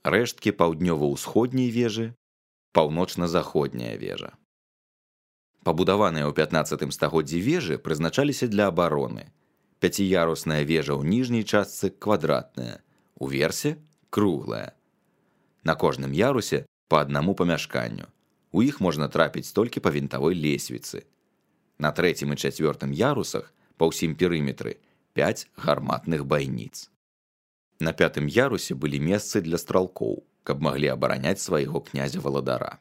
рэшткі паўднёва-ўсходняй вежы, паўночна-заходняя вежа. Пабудаваныя ў 15 стагоддзі вежы прызначаліся для абароны. Пяціярусная вежа ў ніжняй частцы квадратная, у версе круглая. На кожным ярусе па аднаму памяшканню. У іх можна трапіць толькі па вінтавой лесвіцы. На 3 і 4 ярусах па ўсім перыметры 5 гарматных байніц. На 5 ярусе былі месцы для стралкоў, каб маглі абараняць свайго князя-валадара.